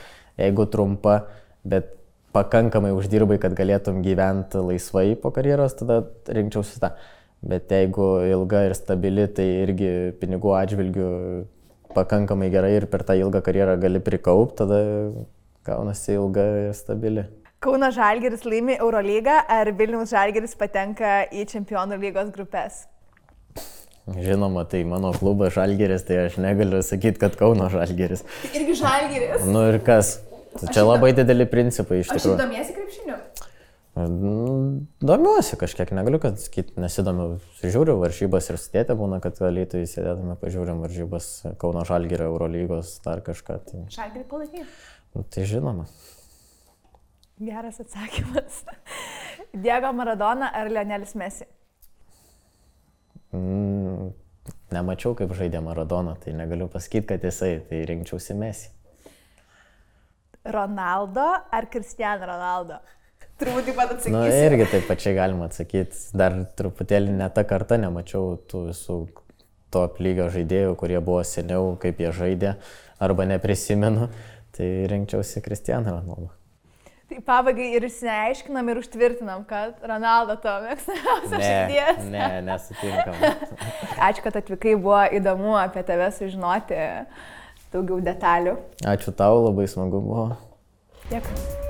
jeigu trumpa, bet pakankamai uždirbai, kad galėtum gyventi laisvai po karjeros, tada rinkčiausi tą. Bet jeigu ilga ir stabili, tai irgi pinigų atžvilgių pakankamai gerai ir per tą ilgą karjerą gali prikaupti, tada gaunasi ilga ir stabili. Kauno Žalgiris laimi Eurolygą ar Vilniaus Žalgiris patenka į Čempionų lygos grupės? Žinoma, tai mano klubas Žalgiris, tai aš negaliu sakyti, kad Kauno Žalgiris. Irgi Žalgiris. Nu ir kas? Čia aš labai dideli principai iš tikrųjų. Aš domiesi krepšiniu? Domiuosi kažkiek, negaliu, kad sakyti, nesidomiu. Žiūriu varžybas ir sudėtė būna, kad Alytuje sėdėtume, pažiūrim varžybas Kauno Žalgirio Eurolygos, dar kažką. Tai... Žalgirį palaikai? Tai žinoma. Geras atsakymas. Diego Maradona ar Lionelis Messi? Mm, nemačiau, kaip žaidė Maradona, tai negaliu pasakyti, kad jisai, tai rinkčiausi Messi. Ronaldo ar Cristiano Ronaldo? Turbūt taip pat atsakysi. Na, nu, irgi taip pačiai galima atsakyti. Dar truputėlį ne tą kartą nemačiau tų visų top lygio žaidėjų, kurie buvo seniau, kaip jie žaidė, arba neprisimenu, tai rinkčiausi Cristiano Ronaldo. Tai pabaigai ir išsiaiškinam ir užtvirtinam, kad Ronaldo to mėgstamiausias žaidėjas. Ne, ne, nesutinkam. Ačiū, kad atvykai, buvo įdomu apie tave sužinoti daugiau detalių. Ačiū tau, labai smagu buvo. Dėkui.